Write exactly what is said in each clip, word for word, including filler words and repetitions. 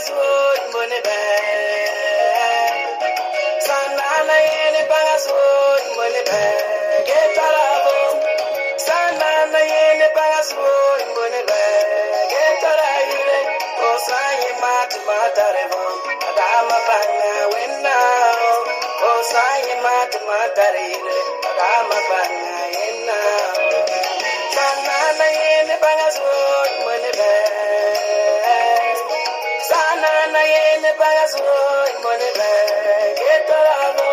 bangaswood money bag. Sanana yene bangaswood money bag. Get arabo. Sanana yene bangaswood money bag. Get arayule. Osayi mat matarebo. Adama banga wenna. Osayi mat matarele. Adama banga wenna. Sanana yene bangaswood money bag. Sanana yene bangaswood money bag. Get arabo.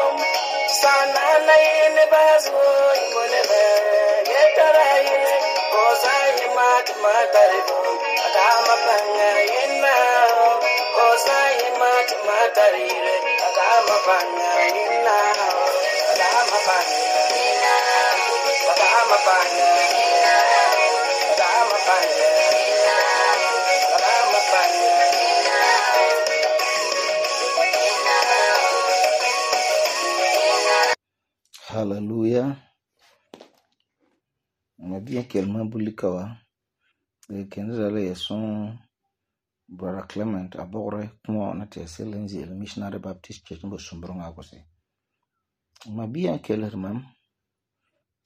Sanana yene bangaswood money bag. Get arayule. Osayi mat matarebo. Adama banga yenna. Osayi mat matarele. Adama banga yenna. Adama banga yenna. Adama banga yenna. Adama banga yenna. Adama banga yenna. Hallelujah. Mabia kelma bulikawa. Kenza ya son Brother Clement abore kuma na te Selenzi Missionary Baptist Church mbo sumbronga kose. Mabia keler mam.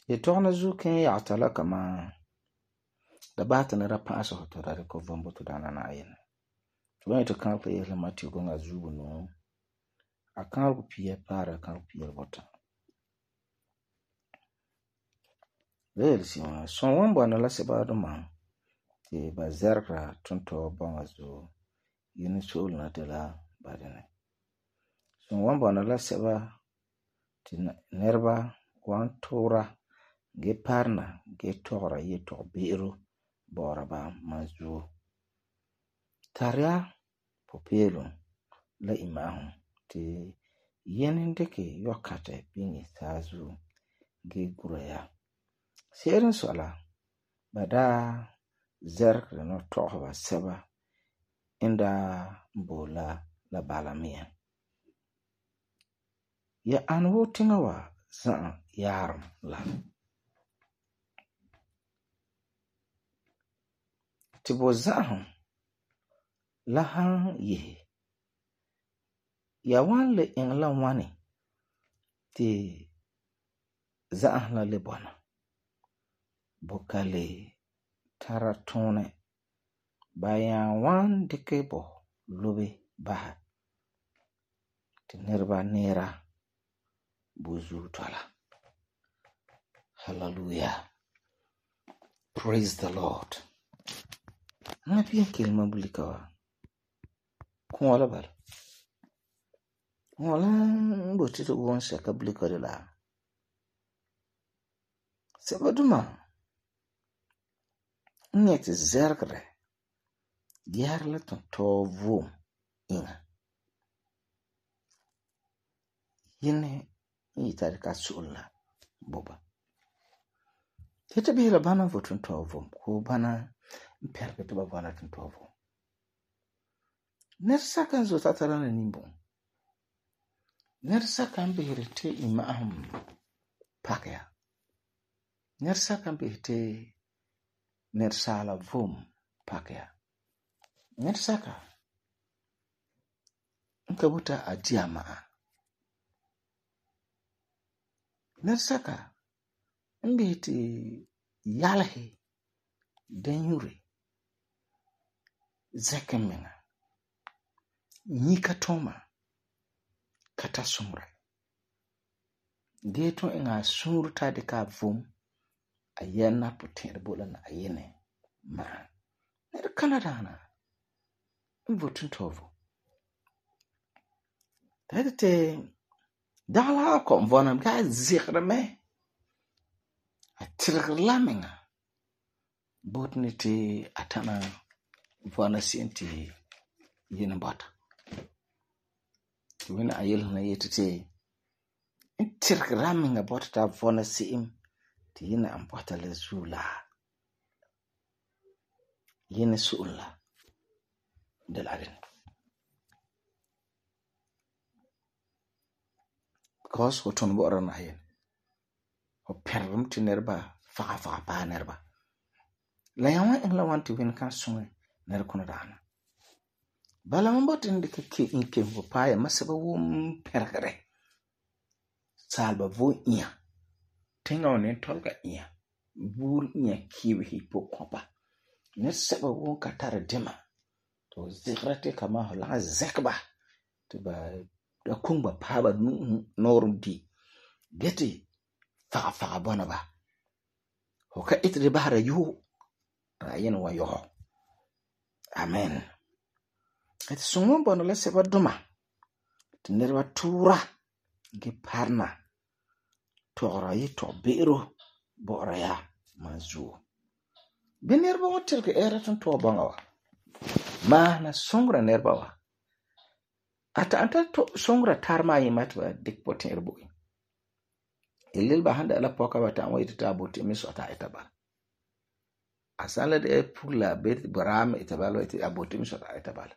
Ye tona zu ken ya atala kama da bata na rapa aso hoto da ko vombo to dana na ayen. Tuwa to kan pe yele mati go nga zubu no. Akan ko pie para kan pie bota. Wel si ma son wombo na la se ba do ma. Te ba zerra tonto bonga zo yini sol na tela badene. Son wombo na la se ba ti nerba wan tora ge parna ge tora ye to biro bora ba mazu. Taria popelo la imahu ti yeni ndeke yokate bingi sazu ge guraya. Serin sola bada zerk no tohba seba inda bola la balamia. Ya anwo tingawa zan yarum la. Tibo zahum lahan ye. Ya wan le ingla wani ti zahum la lebona. Bokale taratone bayan wan dikebo lobe baha. Ti nerba nera buzu twala. Hallelujah. Praise the Lord. Na pia kelma bulikawa. Kuwala bal. Wala mbotito uwansa ka bulika de la. Sebaduma. Nyeti zergre. Diar la tonto vom inga. Yine yitari ka sulla boba. Tete bihila bana vo tonto vom. Ko bana mperke tuba bana tonto vom. Nersaka zo tatarana nimbo. Nersaka mbihirite ima ahum pakya. Nersaka mbihirite nersala vom pakya. Nersaka nkabuta adiama. Nersaka mbihirite yalhe denyure zekemenga. Nika toma kata sumra. Geto inga surta de ka vom ayena putin bola na ayene ma. Ner Canada na mvotun tovo. Tete dala ko mvona ga zikra me. Atirla menga. Botniti atana mvona sinti yena bata. Wina ayel na yetete intirkra menga bota ta vona sim ti yena ambota le zula. Yena sulla de la ren. Because hoton bo ran ayen. O perrum ti nerba fa fa pa nerba. La yawan engla want to win kan sunwe ner kono dana. Bala man bote de ka ke in ke ho pa ya masaba wum pergere. Salba vo iya. Tenga one tolga iya. Bur iya kiwi hi po kopa. Ne seba wum katara dema. To zikrate kama ho la zekba. To ba da kungba pa ba norum di. Geti faga faga bona ba. Ho ka itre bahara yu. Ra yen wa yo. Amen. Et sungon bona la seba duma. Te nerva tura. Ge parna. Tora yi to biro. Bora ya mazu. Be nerva watil ke era ton to banga wa. Ma na songra nerva wa. Ata anta to songra tarma yi matwa dik poten erbo. Ilil ba handa la poka wata wa itata boti misota itabal. Asala de pula bet baram itabalo iti aboti misota itabal.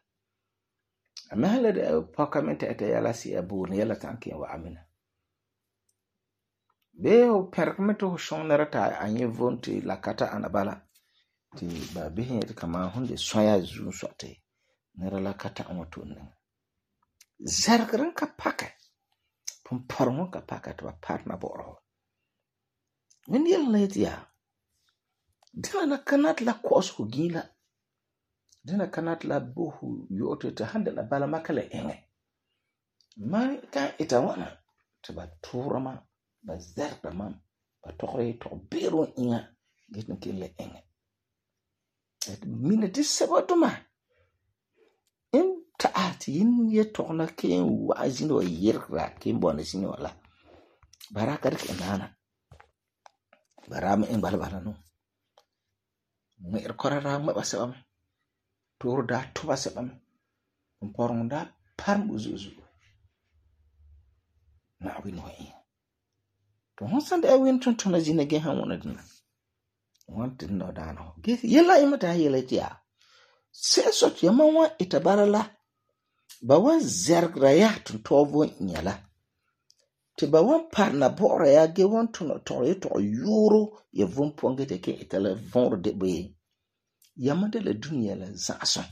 Amahala de poka mente ita yala si abu ni yala tanki wa amina. Be o perkmeto ho shong narata anye vonti la kata anabala. Ti ba bihin yeti kama hunde soya zu sote. Nera la kata amoto neng. Zargran ka paka. Pumparmo ka paka to partner boro. When yel late ya. Dina na kanat la kosu gila. Dina kanat la bohu yote ta hande la bala makale enge. Mani ka itawana. Tiba turama. Ba zarda mam. Ba tokre to bero inga. Gitin kile enge. Et minute sabatuma. In taati in ye tokna ke wazino yirra ke mbona sini wala. Baraka dik enana. Barama in bala bala no. Mer korara ma basabam. Tur da tuba sabam. Mporong da parm uzuzu. Na win wa in. To honsan da win ton tona zina ge han wona dina. Wanted no dano. Ge yela imata yela tia. Se sot yama wa itabarala. Ba wan zergra ya tun tovo nyala. Ti ba wan parna bora ya ge wan tun to to yuro ye vun ponge te ke itala vendre de be. Yama de la dunia la zason.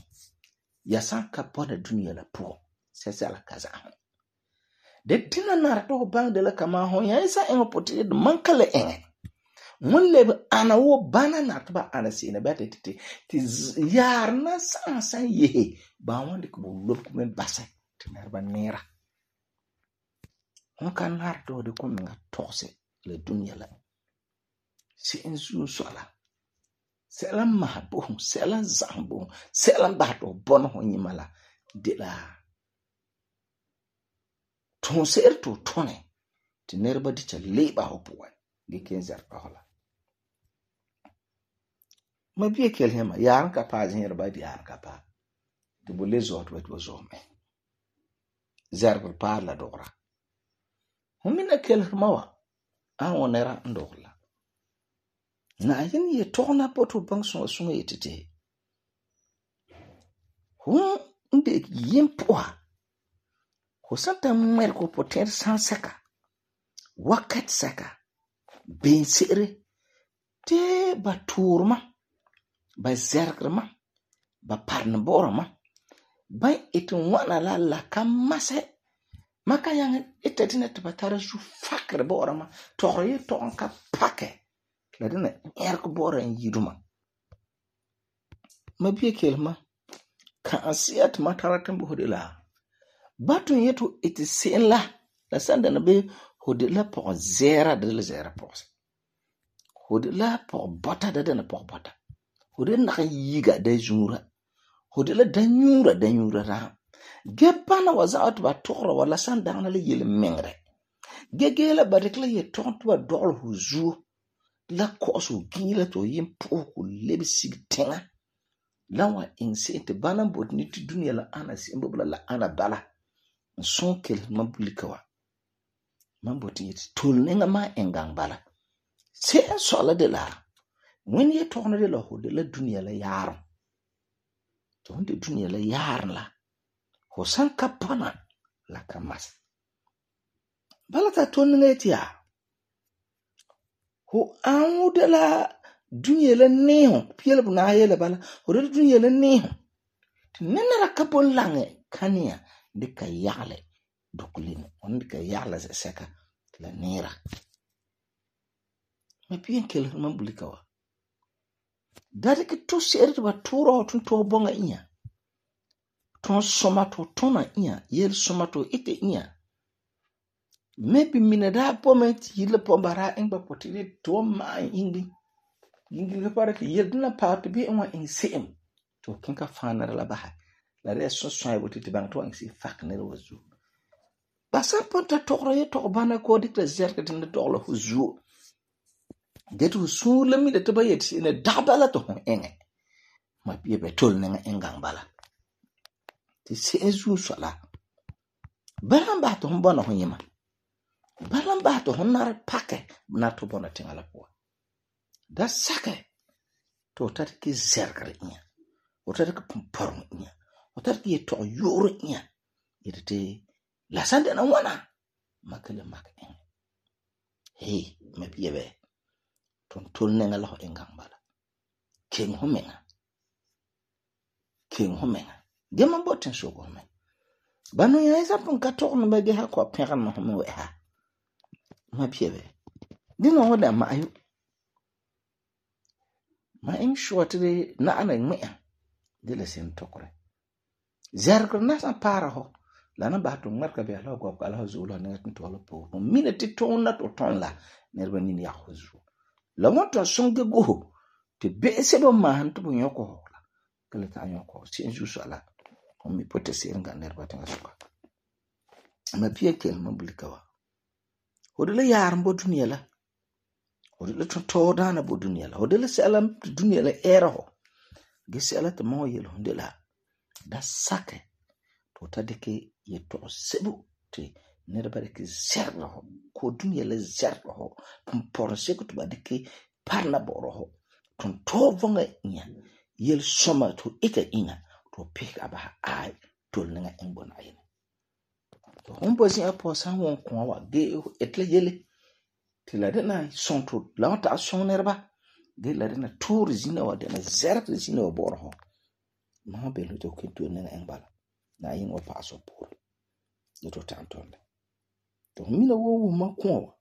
Ya san kapona dunia la po. Se se la kaza. De tina nar to bang de la kama hon ya isa engo poti de mankale enge. Mun lebe ana wo bana na taba ana sina bete titi ti yar na san san ye ba wonde ko lob ko men basa tinar ba nera on kan har do de ko nga tose le dunya la si en su sola selam mahbo selam zambo selam bato bon ho nyimala de la ton ser to tone tinar ba di cha leba ho puwa de kenzer hola. Ma biye kel hema yaran ka pa jin yarba di yaran ka pa to bolle zot wet wo zo me zarb pa la dora humina kel hemawa an wonera ndogla na yin ye tona poto bang so so yetete hum inde yimpoa ko santa mer ko poter san saka wakat saka ben sere te baturma ba zergrama ba parna borama ba itun wana la la kamase maka yang itatina tabatara su fakre borama toriye to anka pake la dina erko bora en yiduma mabiye kelma ka asiyat mataratan bu hodela batun yetu itisen la la sanda na be hodela po zera de la zera po hodela po bota de na po bota Hode na yiga da jura. Hode la danyura danyura ra. Gepana waza out ba tokra wala san dana le yele mengre. Gegela barikla ye tontu ba dol huzu. La kosu gila to yim poku lebi sig tenga. Lawa inse te bana bodni ti dunia la ana simbobla la ana bala. Son kel mambulikawa. Mamboti yeti tulnenga ma engang bala. Se sola de la. When ye tourne de la de la dunia la yar. To de dunia la yar la. Ho san kapana la kamas. Balata tourne tia. Ho an de la dunia la neho. Piel na ye la bala. Ho de dunia la neho. Ti nenera ka bon lange kania dika yagle dokulin on dika yagle seka la nera. Ma pien kel man bulika wa. Dari ki to ser ba turo tun to bonga inya. Ton somato tona inya yel somato ite inya. Maybe mina da pomet yile pombara engba potini to ma ingi. Ingi le pare ki yel dina pa to bi enwa in sem. To kinka fana la baha. La re so so ay boti bang to ang si fak ne wazu. Basa ponta tokro ye tok bana ko dik la zerka tin to la huzu. Get hu su le mi de to bayet si ne dabala to hon enge. Ma pie be tol ne engang bala. Ti se ezu so la. Balan ba to hon bona hon yema. Balan ba to hon nar pake na to bona tingala po. Da sake to tat ki zerka inya. O tat ki pumpor inya. O tat ki to yoro inya. Yete la sande na wana makale mak en hey me biebe ton tol nenga lo engang bala king homenga king homenga de man boten so go men banu ya isa pon ka to no be ha ko peran no me we ha ma biebe dino wala ma ayu ma en shortly na ana me de la sen tokore zerko na sa para ho lana ba to marka be ala go ko ala zulu na to ala po minute to na to ton la nerba ni ya huzu la wonto songe go te be se do man to nyoko la kale ta nyoko si enju sala ko mi pote se nga nerba tanga suka ma pie kel ma bulika wa hodele yar mbo duniya la hodele to to dana bo duniya la hodele salam duniya la eraho gese ala te mo yelo ndela da sake to tadike ye to sebu te nerba ke zerlo ko dunya le zerlo por seko to badike parla boroho ton to vonga nya yel soma to ita ina to pick aba ai to lenga engbona yin to hombo si apo san won ko wa ge etle yele te la dena son to la ta son nerba ge la dena tour zina wa dena zerlo zina wa boroho ma be lo to kinto lenga engbala na yin wa paso por to tantonde to mina wo wo makwa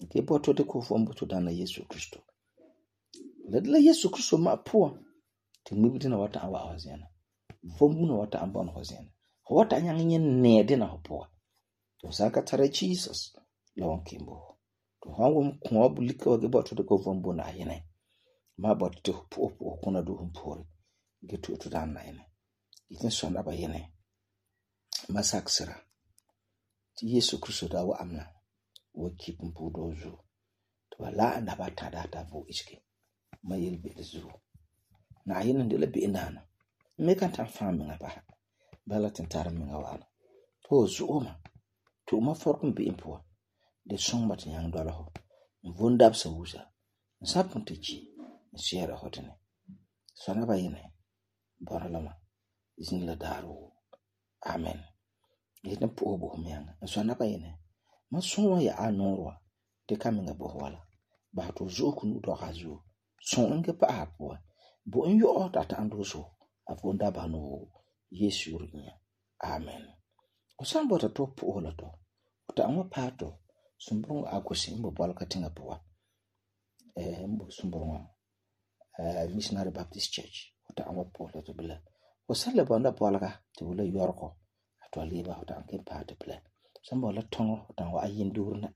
ke poto de ko fombo to dana Yesu Kristo la la Yesu Kristo ma po te mibiti na wata awa hozena fombu na wata ambon hozena wata nyang nyen ne de na hopo to saka tare Jesus lon kimbo to hawo ko bulika wa ke poto de ko fombo na yene ma poto te po po kuna do mpori getu to dana yene itin sona ba yene masaksira ti Yesu Kristo da wa amna wa kipun pudozu to la anda ba ta data vo iski mayel be zu na yin de la be nana me kan ta fami nga ba bala tin tar mi nga wala to zu oma to ma forkum be impo de song mat yang do la ho vundab sa wusa sapun te ci siera hotene sona ba yene boralama izin la daru amen ina po bo mianga so na ba yene ma so ya anorwa de kaminga bo wala ba to zoku nu do hazu so nge pa apo bo nyo ota ta ando so afonda ba no Yesu rinya amen o san bota to po wala to ta anwa pato sumburu akosi mbo bol katinga po eh mbo sumburu eh Missionary Baptist Church ta anwa po la to bela o san le bonda po la to bela yorko to liba hotan ke party plan sambo la tongo hotan wa ayin durna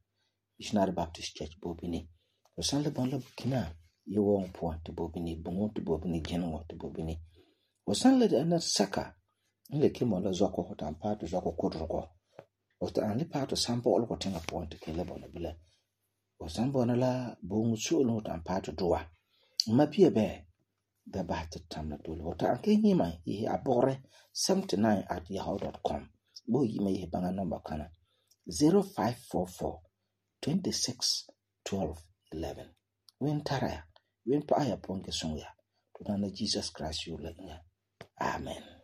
Missionary Baptist Church bobini o san le bon la kina yo won point to bobini bon to bobini genwo to bobini o san le na saka le kimo la zoko hotan party zoko kodroko o ta an le party sambo ol ko tinga point ke le bon bile o san bon la bon su lo hotan party doa ma pie be da ba ta tamna dole wata an kai yima yi abore seventy-nine at yahoo dot com bo yima yi banga number kana zero five four four two six one two one one wen taraya wen pa ya ponke songa to na Jesus Christ you la amen.